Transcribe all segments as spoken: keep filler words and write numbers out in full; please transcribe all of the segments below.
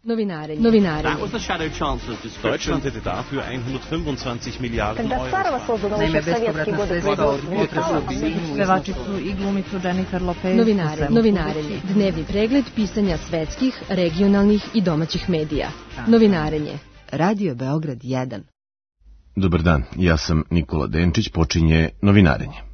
Novinarenje. Novinarenje. That was the shadow chancellor's description. Deutschland hätte dafür hundertfünfundzwanzig Milliarden Euro. Naime, bespovratna sredstva od pevačicu i glumicu Jennifer Lopez. Novinare, novinarenje. Dnevni pregled pisanja svetskih, regionalnih i domaćih medija. Novinarenje. Radio Beograd jedan. Dobar dan, ja sam Nikola Denčić, počinje Novinarenje.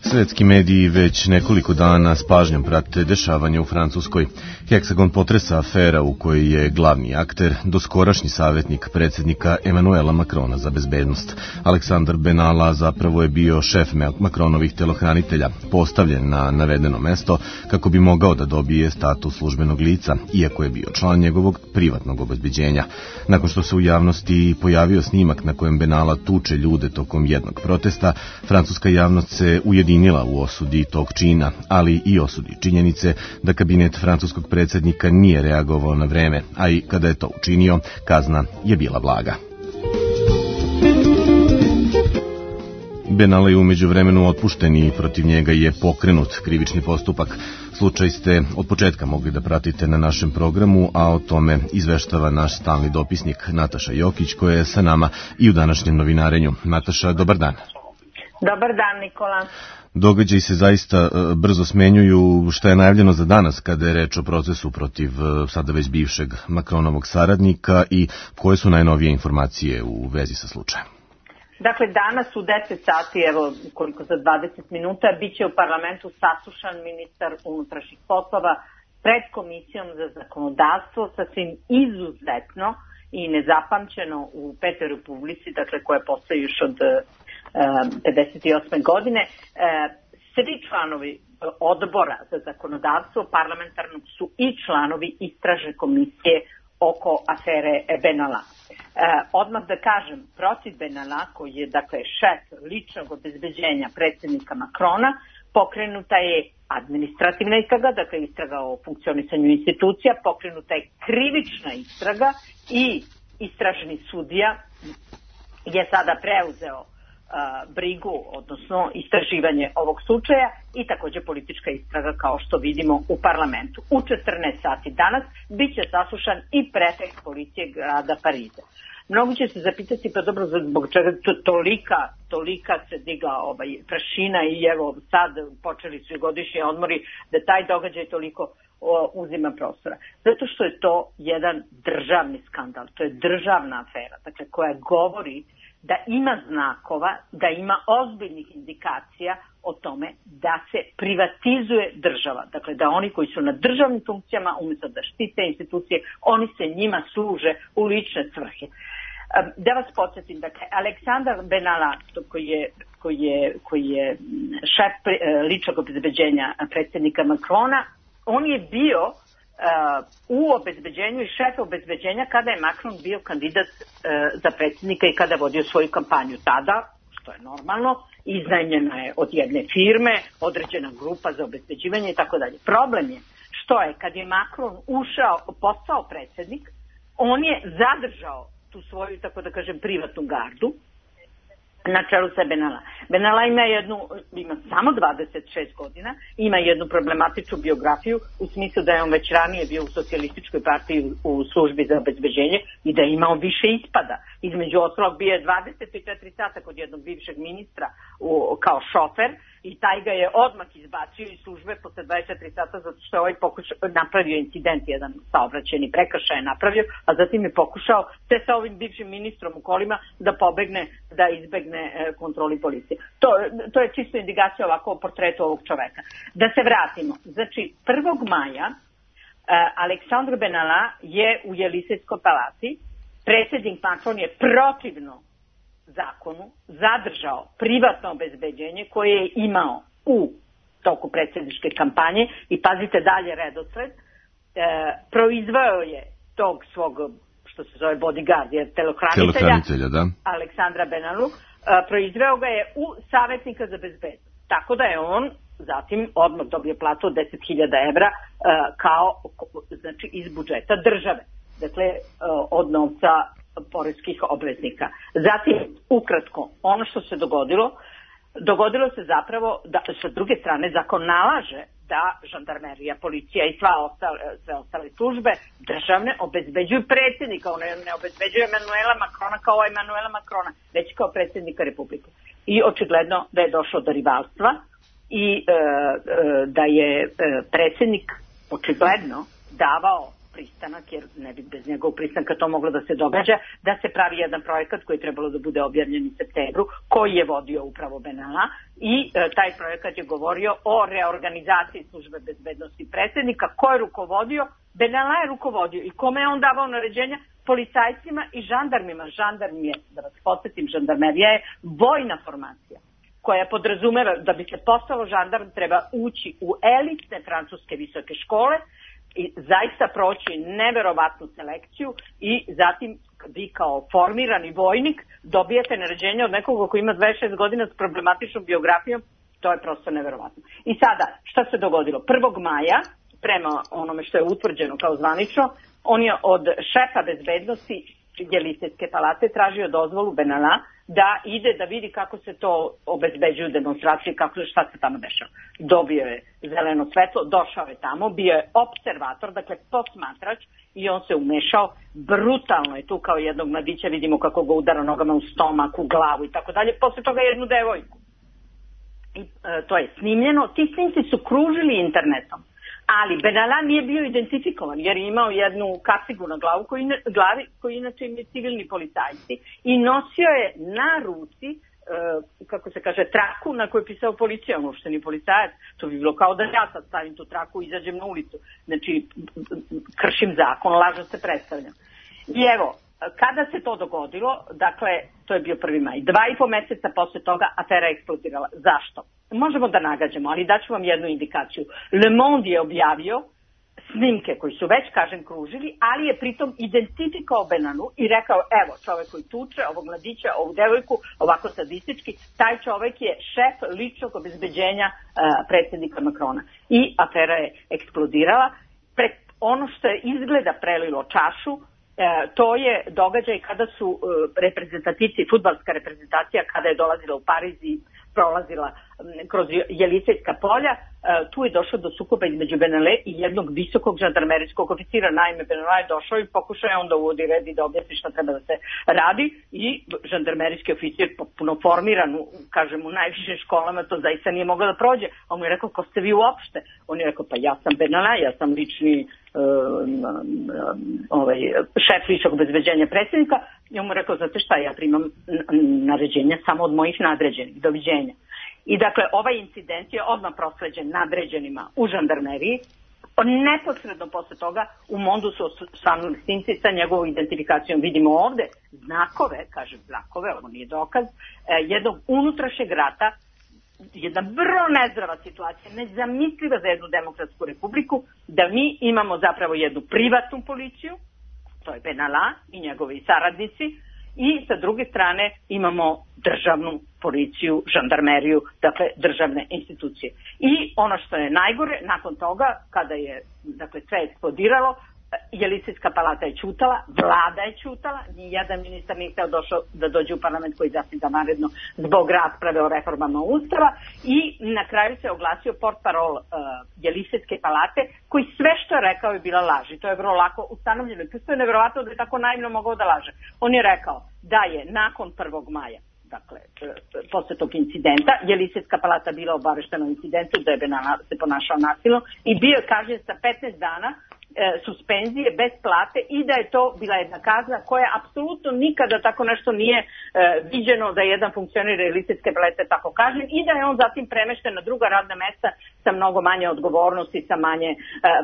Svetski mediji već nekoliko dana s pažnjom prate dešavanja u Francuskoj. Heksagon potresa afera u kojoj je glavni akter doskorašnji savjetnik predsjednika Emanuela Macrona za bezbednost. Aleksandar Benalla zapravo je bio šef Macronovih telohranitelja, postavljen na navedeno mesto kako bi mogao da dobije status službenog lica, iako je bio član njegovog privatnog obezbeđenja. Nakon što se u javnosti pojavio snimak na kojem Benalla tuče ljude tokom jednog protesta, francuska javnost se ujedinila u osudi tog čina, ali i osudi činjenice da kabinet francuskog predsjednika nije reagovao na vreme, a i kada je to učinio, kazna je bila blaga. Benalla je umeđu vremenu otpušten i protiv njega je pokrenut krivični postupak. Slučaj ste od početka mogli da pratite na našem programu, a o tome izveštava naš stalni dopisnik Nataša Jokić, koja je sa nama i u današnjem novinarenju. Nataša, dobar dan. Dobar dan, Nikola. Događaji se zaista brzo smenjuju. Šta je najavljeno za danas kada je reč o procesu protiv sada već bivšeg Macronovog saradnika i koje su najnovije informacije u vezi sa slučajem? Dakle, danas u deset sati, evo koliko za dvadeset minuta, bit će u parlamentu saslušan ministar unutrašnjih poslova pred Komisijom za zakonodavstvo, sasvim izuzetno i nezapamćeno u Petoj Republici, dakle koja postoji još od pedeset osme godine. Svi članovi odbora za zakonodavstvo parlamentarnog su i članovi istražne komisije oko afere Benalla. Odmah da kažem, protiv Benalla, koji je dakle šef ličnog obezbeđenja predsjednika Macrona, pokrenuta je administrativna istraga, dakle istraga o funkcionisanju institucija, pokrenuta je krivična istraga i istražni sudija je sada preuzeo brigu, odnosno istraživanje ovog slučaja i također politička istraga kao što vidimo u parlamentu. U četrnaest sati danas bit će saslušan i prefekt policije grada Pariza. Mnogi će se zapitati, pa dobro, zbog čega to tolika, tolika se digla ovaj, prašina i evo sad počeli su i godišnji odmori da taj događaj toliko o, uzima prostora. Zato što je to jedan državni skandal, to je državna afera, dakle koja govori da ima znakova, da ima ozbiljnih indikacija o tome da se privatizuje država. Dakle, da oni koji su na državnim funkcijama, umjesto da štite institucije, oni se njima služe u lične svrhe. Da vas podsjetim, dakle, Aleksandar Benalla, koji je, koji je, koji je šef ličnog obezbeđenja predsjednika Macrona, on je bio Uh, u obezbeđenju i šef obezbeđenja kada je Macron bio kandidat uh, za predsjednika i kada vodio svoju kampanju. Tada, što je normalno, iznajmljena je od jedne firme, određena grupa za obezbeđivanje i tako dalje. Problem je što je kad je Macron ušao, postao predsjednik, on je zadržao tu svoju, tako da kažem, privatnu gardu na čelu sa Benalla. Benalla ima jednu, ima samo dvadeset šest godina, ima jednu problematičnu biografiju u smislu da je on već ranije bio u socijalističkoj partiji u službi za obezbeđenje i da je imao više ispada. Između ostalog bio je dvadeset četiri sata kod jednog bivšeg ministra u, kao šofer i taj ga je odmah izbacio iz službe posle dvadeset četiri sata zato što je ovaj pokušao, napravio incident, jedan saobraćajni prekršaj je napravio, a zatim je pokušao sve sa ovim bivšim ministrom u kolima da pobegne, da izbegne e, kontroli policije. To, to je čisto indikacija ovako o portretu ovog čoveka. Da se vratimo. Znači, prvog maja e, Aleksandar Benalla je u Jelisejskoj palati. Predsjednik Macron je protivno zakonu zadržao privatno obezbeđenje koje je imao u toku predsjedničke kampanje i pazite dalje redosled, e, proizveo je tog svog, što se zove bodyguard, jer telohranitelja, da. Aleksandra Benallu, e, proizveo ga je u savjetnika za bezbednost. Tako da je on zatim odmah dobio platu od deset hiljada evra e, kao, znači, iz budžeta države. Dakle, e, od novca poreskih obveznika. Zatim, ukratko, ono što se dogodilo, dogodilo se zapravo da sa druge strane zakon nalaže da žandarmerija, policija i sva ostale, sve ostale službe državne obezbeđuju predsjednika, one ne obezbeđuju Emanuela Makrona kao Emanuela Makrona, već kao predsjednika Republike. I očigledno da je došlo do rivalstva i e, e, da je e, predsjednik očigledno davao pristanak, jer ne bi bez njegovog pristanka to moglo da se događa, da se pravi jedan projekat koji je trebalo da bude objavljen u septembru, koji je vodio upravo Benalla i e, taj projekat je govorio o reorganizaciji službe bezbednosti predsjednika. Ko je rukovodio? Benalla je rukovodio. I kome je on davao naređenja? Policajcima i žandarmima. Žandarm je, da vas podsjetim, žandarmerija je vojna formacija koja podrazumeva da bi se postalo žandarm treba ući u elitne francuske visoke škole i zaista proći neverovatnu selekciju i zatim vi kao formirani vojnik dobijete naređenje od nekoga koji ima dvadeset šest godina s problematičnom biografijom, to je prosto neverovatno. I sada, šta se dogodilo? prvog maja, prema onome što je utvrđeno kao zvanično, on je od šefa bezbednosti Jelisejske palate tražio dozvolu Benalla da ide da vidi kako se to obezbeđuju demonstracije, kako, šta se tamo dešava. Dobio je zeleno svetlo, došao je tamo, bio je observator, dakle posmatrač i on se umešao, brutalno je tu kao jednog mladića, vidimo kako ga udara nogama u stomak, u glavu i tako dalje, posle toga jednu devojku. I, e, to je snimljeno, ti snimci su kružili internetom. Ali Benalla nije bio identifikovan jer je imao jednu kacigu na glavu koji, glavi koji inače im je civilni policajci i nosio je na ruci, e, kako se kaže, traku na kojoj je pisao policija, ono što nije policajac, to bi bilo kao da ja sad stavim tu traku i izađem na ulicu. Znači, kršim zakon, lažno se predstavljam. I evo, kada se to dogodilo, dakle, to je bio prvi maj, dva i po meseca posle toga afera je eksplodirala. Zašto? Možemo da nagađamo, ali daću vam jednu indikaciju. Le Monde je objavio snimke koji su već, kažem, kružili, ali je pritom identifikao Benallu i rekao, evo, čovek koji tuče, ovog mladića, ovu devojku, ovako sadistički, taj čovek je šef ličnog obezbeđenja uh, predsjednika Makrona. I afera je eksplodirala. Pre, ono što je izgleda prelilo čašu, E, to je događaj kada su e, reprezentativci, fudbalska reprezentacija kada je dolazila u Pariz i prolazila m, kroz Jelisejska polja, e, tu je došlo do sukoba između Benalle i jednog visokog žandarmerijskog oficira. Naime, Benalla je došao i pokušao je onda uvodi red i da objasni šta treba da se radi i žandarmerijski oficir potpuno formiran, kažem, u najvišim školama, to zaista nije moglo da prođe. On mu je rekao, ko ste vi uopšte? On je rekao, pa ja sam Benalla, ja sam lični ovaj, šef ličnog obezbeđenja predsjednika. I on mu rekao, znate šta, ja primam naređenja samo od mojih nadređenih, doviđenja. I dakle, ovaj incident je odmah prosleđen nadređenima u žandarmeriji. Neposredno posle toga u Mondu su osvanuli snimci sa njegovom identifikacijom. Vidimo ovde znakove, kažem znakove, ovo nije dokaz, jednog unutrašnjeg rata, jedna vrlo nezdrava situacija, nezamisliva za jednu demokratsku republiku, da mi imamo zapravo jednu privatnu policiju, to je Benalla i njegovi saradnici, i sa druge strane imamo državnu policiju, žandarmeriju, dakle državne institucije. I ono što je najgore, nakon toga, kada je dakle, sve eksplodiralo, Jelisejska palata je ćutala, vlada je ćutala, nijedan ministar nije hteo došao da dođe u parlament koji zasnida naredno zbog rasprave o reformama Ustava i na kraju se oglasio portparol uh, Jelisejske palate koji sve što je rekao je bila laž i to je vrlo lako ustanovljeno. To je nevjerovatno da je tako naivno mogao da laže. On je rekao da je nakon prvog maja, dakle, posle tog incidenta, Jelisejska palata bila obaveštena o incidentu da je Benalla se ponašao nasilno i bio je kažnjen sa petnaest dana suspenzije bez plate i da je to bila jedna kazna koja apsolutno nikada tako nešto nije e, viđeno da je jedan funkcioner Jelisejske palate tako kažnjen i da je on zatim premešten na druga radna mesta sa mnogo manje odgovornosti, sa manje e,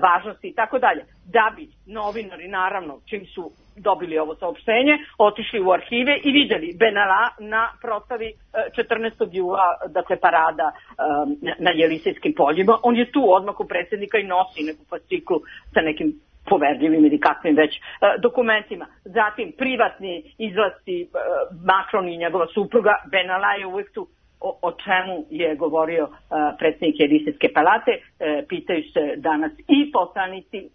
važnosti i tako dalje. Da bi novinari, naravno, čim su dobili ovo saopštenje, otišli u arhive i vidjeli Benalla na proslavi četrnaestog jula, dakle parada na Jelisejskim poljima. On je tu odmah u predsjednika i nosi neku fasciklu sa nekim poverljivim ili kakvim već dokumentima. Zatim privatni izlasti Macron i njegova supruga, Benalla je uvijek tu. O, o čemu je govorio predsjednik Jelisejske palate, pitaju se danas i poslanici.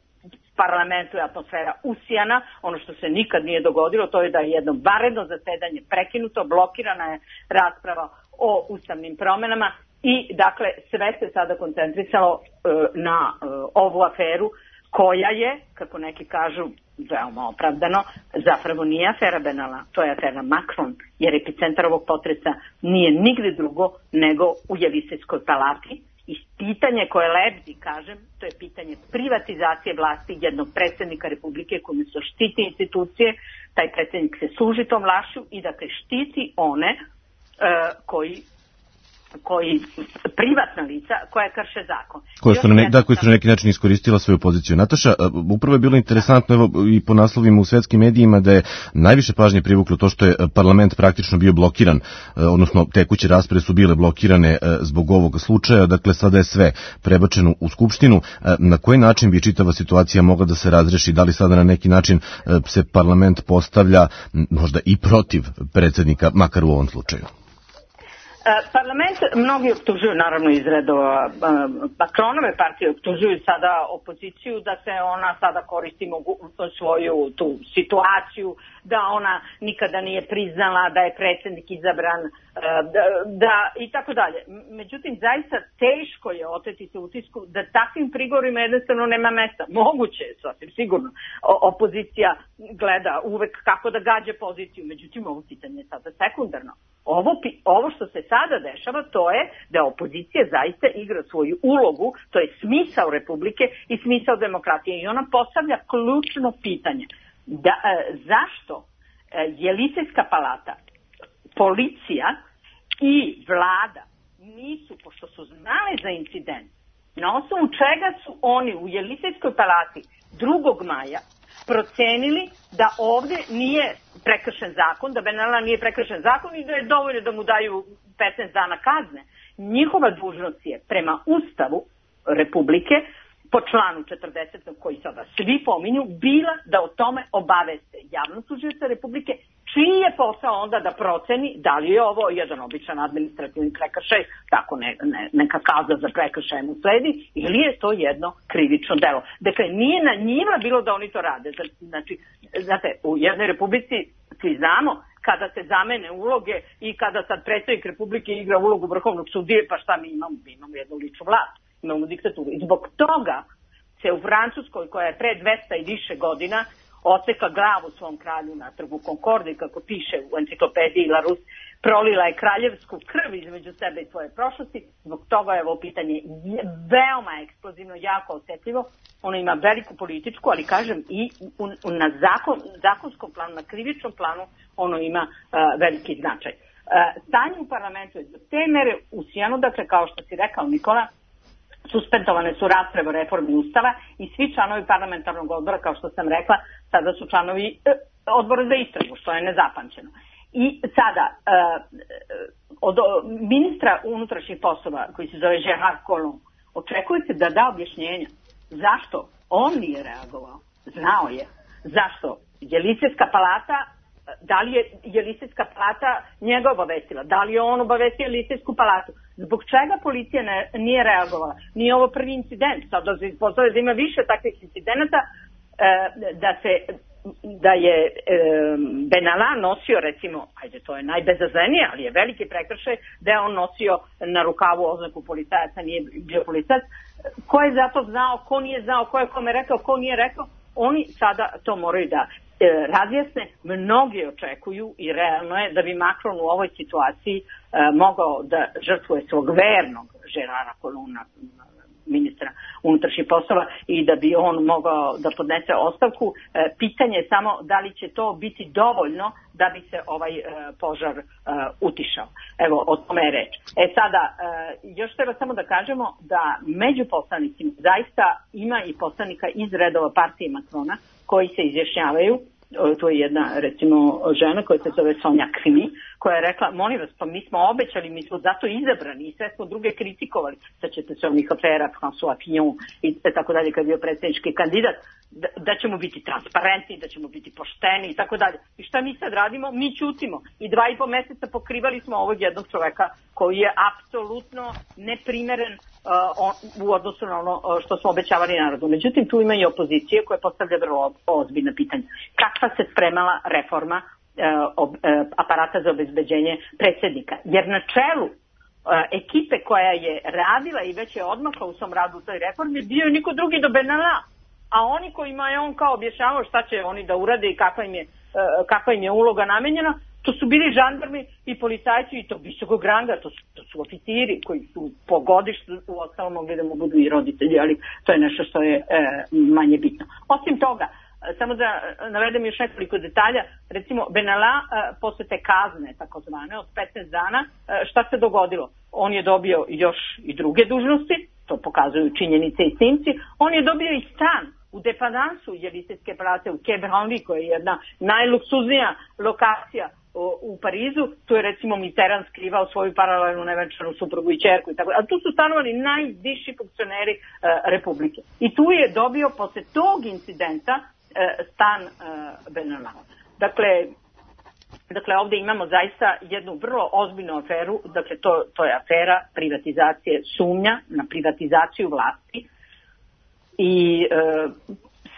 Parlamentu je atmosfera usijana, ono što se nikad nije dogodilo, to je da je jedno vanredno zasedanje prekinuto, blokirana je rasprava o ustavnim promenama i dakle sve se sada koncentrisalo e, na e, ovu aferu koja je, kako neki kažu, veoma opravdano, zapravo nije afera Benalla, to je afera Macron, jer epicentar ovog potresa nije nigde drugo nego u Jelisejskoj palati. I pitanje koje lebdi, kažem, to je pitanje privatizacije vlasti jednog predsjednika Republike koji se štiti institucije, taj predsjednik se služi tom vlašću i dakle štiti one uh, koji koji privatna lica koja krše zakon. Koje su, na ne, da, koji su na neki način iskoristila svoju poziciju. Nataša, upravo je bilo interesantno evo, i po naslovima u svetskim medijima da je najviše pažnje privuklo to što je parlament praktično bio blokiran, odnosno tekuće rasprave su bile blokirane zbog ovog slučaja, dakle sada je sve prebačeno u Skupštinu. Na koji način bi čitava situacija mogla da se razreši? Da li sada na neki način se parlament postavlja možda i protiv predsjednika, makar u ovom slučaju? Parlament, mnogi optužuju naravno iz redova Macronove partije, optužuju sada opoziciju da se ona sada koristi mogu, svoju tu situaciju, da ona nikada nije priznala da je predsjednik izabran, da, da i tako dalje. Međutim, zaista teško je oteti se utisku da takvim prigovorima jednostavno nema mesta. Moguće je, sasvim sigurno. O, opozicija gleda uvek kako da gađe poziciju, međutim ovo pitanje je sada sekundarno. Ovo, ovo što se sada dešava, to je da opozicija zaista igra svoju ulogu, to je smisao Republike i smisao demokratije. I ona postavlja ključno pitanje. Da, e, zašto e, Jelisejska palata, policija i vlada nisu, pošto su znali za incident, na osnovu čega su oni u Jelisejskoj palati drugog maja procenili da ovdje nije prekršen zakon, da Benalla nije prekršen zakon i da je dovoljno da mu daju petnaest dana kazne. Njihova dužnost je prema Ustavu Republike, po članu četrdesetom koji sada svi pominju, bila da o tome obaveste javnog tužioca Republike, čiji je posao onda da proceni da li je ovo jedan običan administrativni prekršaj, tako ne, ne, neka kazna za prekršaj mu sledi, ili je to jedno krivično delo. Dakle, nije na njima bilo da oni to rade. Znači, znate, u jednoj Republici svi znamo kada se zamene uloge i kada sad predsjednik Republike igra ulogu vrhovnog sudije, pa šta mi imamo? Mi imamo jednu ličnu vlast, imamo diktaturu. I zbog toga se u Francuskoj, koja je pre dvesta i više godina oseka glavu svom kralju na trgu Concorde, kako piše u enciklopediji Larousse, prolila je kraljevsku krv između sebe i svoje prošlosti. Zbog toga je ovo pitanje veoma eksplozivno, jako osjetljivo. Ono ima veliku političku, ali kažem i u, u, na zakon, zakonskom planu, na krivičnom planu ono ima uh, veliki značaj. Uh, stanje u parlamentu je do te mere usijano, dakle kao što si rekao Nikola, suspendovane su rasprave o reformi Ustava i svi članovi parlamentarnog odbora, kao što sam rekla, sada su članovi uh, odbora za istragu, što je nezapamćeno. I sada, uh, od ministra unutrašnjih poslova, koji se zove Gérard Collomb, očekuje se da da objašnjenja. Zašto? On nije reagovao. Znao je. Zašto? Jelisejska palata, da li je Jelisejska palata njega obavestila? Da li je on obavestio Jelisejsku palatu? Zbog čega policija ne, nije reagovala? Nije ovo prvi incident. Sad da se ispostavlja da ima više takvih incidenata, uh, da se da je e, Benalla nosio, recimo, ajde, to je najbezazlenije, ali je veliki prekršaj da je on nosio na rukavu oznaku policajaca, nije bio policajac. Ko je za to znao, ko nije znao, ko je kome rekao, ko nije rekao, oni sada to moraju da e, razjasne. Mnogi očekuju i realno je da bi Macron u ovoj situaciji e, mogao da žrtvuje svog vernog Gérarda Collomb'a, ministra unutrašnjih poslova, i da bi on mogao da podnese ostavku. E, pitanje je samo da li će to biti dovoljno da bi se ovaj e, požar e, utišao. Evo, o tome je reč. E sada, e, još treba samo da kažemo da među poslanicima zaista ima i poslanika iz redova partije Macrona koji se izjašnjavaju. To je jedna, recimo, žena koja se zove Sonja Krimi, koja je rekla, molim vas, pa mi smo obećali, mi smo zato izabrani i sve smo druge kritikovali. Sad ćete se onih afera, François Fillon i tako dalje, kad je bio predsjednički kandidat, da, da ćemo biti transparentni, da ćemo biti pošteni i tako dalje. I šta mi sad radimo? Mi ćutimo. I dva i po meseca pokrivali smo ovog jednog čoveka koji je apsolutno neprimeren uh, u odnosu na ono što smo obećavali narodu. Međutim, tu ima i opozicije koja postavlja vrlo ozbiljna pitanja. Kakva se spremala reforma aparata za obezbeđenje predsjednika. Jer na čelu ekipe koja je radila i već je odmakla u svom radu u toj reformi bio je niko drugi do Benalla. A oni kojima je on kao objašnjavao šta će oni da urade i kakva im je, kakva im je uloga namenjena, to su bili žandarmi i policajci i to visokog ranga, to su, to su oficiri koji su po godištu u ostalom mogli da mu budu i roditelji, ali to je nešto što je e, manje bitno. Osim toga, samo da navedem još nekoliko detalja, recimo Benalla e, posle te kazne takozvane od petnaest dana, e, šta se dogodilo? On je dobio još i druge dužnosti, to pokazuju činjenice i snimci, on je dobio i stan u depandansu Jelisejske plate u Quai Branly, koja je jedna najluksuznija lokacija u Parizu. Tu je recimo Mitterrand skrivao svoju paralelnu nevenčanu suprugu i ćerku i tako. A tu su stanovali najviši funkcioneri e, Republike. I tu je dobio posle tog incidenta e, stan e, Benalla. Dakle, dakle, ovdje imamo zaista jednu vrlo ozbiljnu aferu. Dakle, to, to je afera privatizacije, sumnja na privatizaciju vlasti. I e,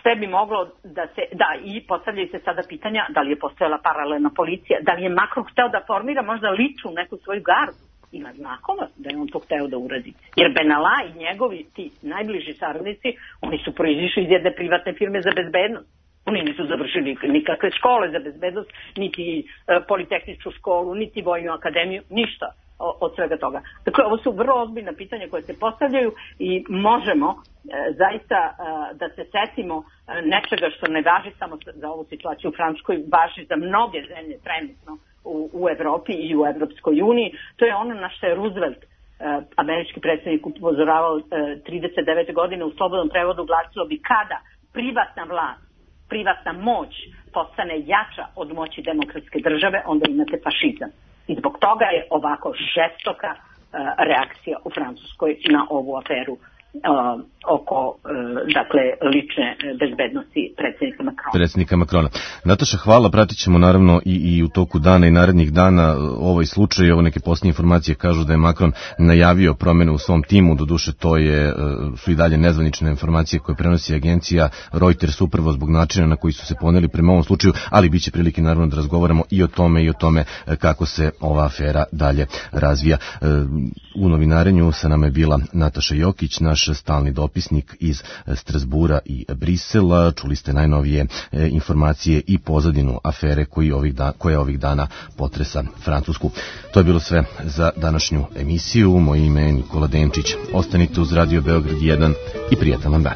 sve bi moglo da se, da, i postavljaju se sada pitanja da li je postojala paralelna policija, da li je Macron hteo da formira možda ličnu neku svoju gardu. Ima znakova da je on to hteo da uradi. Jer Benalla i njegovi ti najbliži saradnici, oni su proizišli iz jedne privatne firme za bezbednost. Oni nisu završili nikakve škole za bezbednost, niti e, politehničku školu, niti vojnu akademiju, ništa od svega toga. Dakle, ovo su vrlo ozbiljna pitanja koje se postavljaju i možemo e, zaista e, da se setimo e, nečega što ne važi samo za ovu situaciju u Francuskoj, važi za mnoge zemlje trenutno u, u Evropi i u Evropskoj uniji. To je ono na što je Roosevelt, e, američki predsjednik, upozoravao e, trideset devete godine u slobodnom prevodu glasilo bi kada privatna vlast, privatna moć postane jača od moći demokratske države, onda imate fašizam. I zbog toga je ovako žestoka uh, reakcija u Francuskoj na ovu aferu uh, oko uh, dakle lične bezbednosti predsjednika Macrona. Predsjednika Macrona. Nataša, hvala, pratit ćemo naravno i, i u toku dana i narednih dana ovaj slučaj. Ovo neke posljednje informacije kažu da je Macron najavio promjene u svom timu, doduše to je, su i dalje nezvanične informacije koje prenosi agencija Reuters upravo zbog načina na koji su se poneli prema ovom slučaju, ali bit će prilike naravno da razgovaramo i o tome i o tome kako se ova afera dalje razvija. U novinarenju sa nama je bila Nataša Jokić, naš stalni dopisnik iz Strasbura i Brisela. Čuli ste najnovije informacije i pozadinu afere koji ovih da, koja ovih dana potresa Francusku. To je bilo sve za današnju emisiju. Moje ime je Nikola Demčić. Ostanite uz Radio Beograd jedan i prijatan vam dan.